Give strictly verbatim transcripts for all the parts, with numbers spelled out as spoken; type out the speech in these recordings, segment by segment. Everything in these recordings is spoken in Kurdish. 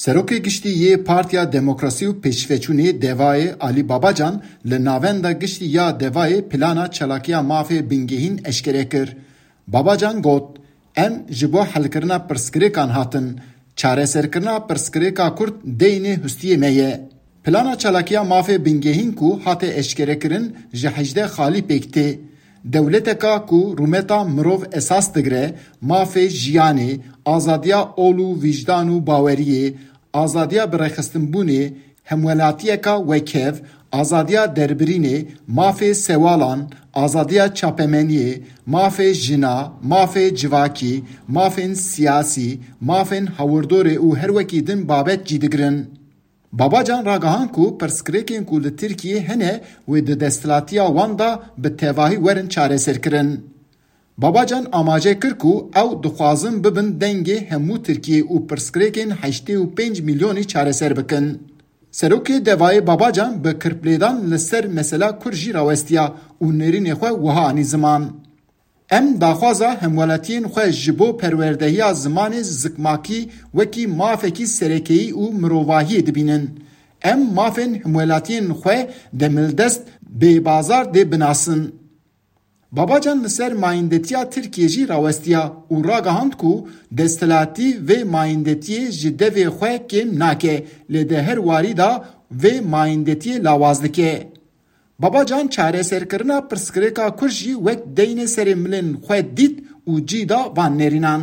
Serokê Giştî yê Partiya Demokrasî û Pêşveçûnê DEVA'yê Alî Babacan li navenda giştî ya DEVA'yê plana çalakiya mafê bingehîn eşkere kir. Babacan got, Em ji bo helkirina pirsgirêkan hatin. Çareserkirina pirsgirêka Kurd deynê hustiyê me ye. Plana çalakiya mafê bingehîn ku hate eşkerekirin ji hejdeh xalî pêk tê. Dewleteka ku rûmeta mirov esas digire, mafê jiyanê, azadiya ol û wijdan û baweriyê, azadiya birêxistinbûnê, hemwelatiyeka wekhev, azadiya derbirînê, mafê sewalan, azadiya çapemeniyê, mafê jina, mafê civakî, mafên siyasî, mafên hawirdorê û her wekî din babet cî digirin. Babacan ragihand ku pirsgirêkên ku li Tirkiyê hene wê di desthilatiya wan de bi tevahî werin çareserkirin. Babacan amaje kir ku ew dixwazin bibin dengê hemû Tirkiyê û pirsgirêkên heştê û pênc milyonî çareser bikin. Serokê DEVA'yê Babacan bi kirplêdan li ser mesela Kurd jî rawestiya û nêrînê xwe wiha anî ziman. Em daxwaza hemwelatiyên xwe ji bo perwerdehiya zimanê zikmakî wekî mafekî serekeyî û mirovahiyê dibînin. Em mafên hemwelatiyên xwe demildest bê bazar dê binasin. Babacan li ser mayîndetiya Tirkiyê jî rawestiya û ragihand ku desthilatî vê mayîndetiyê ji devê xwe kêm nake, lê di her warî de vê mayîndetiyê lawaz dike. Babacan çareserkirina pirsgirêka Kurd jî wek deynê serê milên xwe dît û cî da van nêrînan.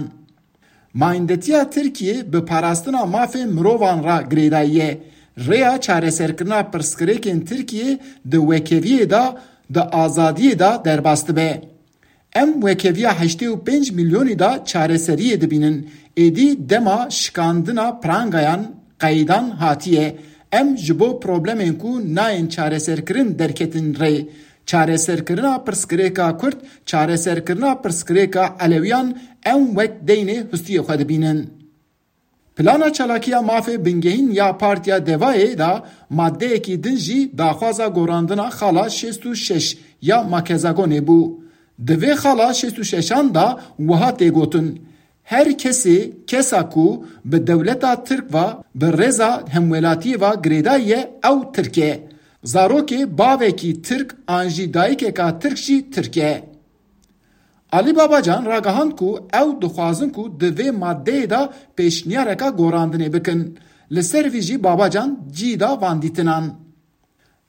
Mayîndetiya Tirkiyê bi parastina mafê mirovan re girêdayî ye. Rêya çareserkirina pirsgirêkên Tirkiyê di wekeviyê de, di azadiyê de derbas dibe. Em wekeviya heştê û pênc milyonî de çareseriyê dibînin. Êdî dema şikandina pirangayan, qeydan hatiye. Em ji bo problemên ku nayên çareserkirin derketin rê. Çareserkirina pirsgirêka Kurd, çareserkirina pirsgirêka Elewiyan em wek deynê hustiyê xwe dibînin. Plana çalakiya mafê bingehîn ya Partiya DEVA'yê de maddeyekî din jî daxwaza gorandina xala şêst û şeş ya Makezagonê bû. Di vê xala şêst û şeşan de wiha tê gotin, Her kesê, kesa ku bi dewleta Tirk ve, bi rêza hemwelatiyê ve girêdayî ye, ew Tirk e. Zarokê bavekî Tirk an jî dayikeka Tirk jî Tirk e. Alî Babacan ragihand ku ew dixwazin ku di vê maddeyê de pêşniyareka gorandinê bikin. Li ser vî jî Babacan cî da van dîtinan.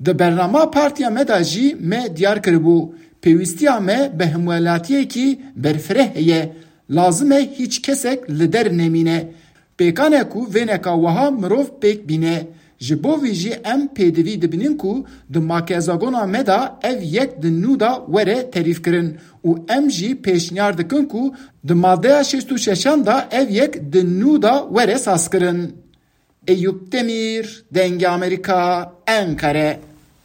Di bernama partiya me de jî me diyar kiribû, pêwîstiya me bi hemwelatiyekî berfireh heye. Lazim e hîç kesek li der nemîne. Pêkan e ku vêneka wiha mirov pêk bîne. Ji bo vî jî em pêdivî dibînin ku di makezagona me de ev yek di nû de were terîfkirin û em jî pêşniyar dikin ku di maddeya şêst û şeşan de ev yek di nû de were sazkirin. Eyûp Demîr, Dengê Amerîka, Enqere.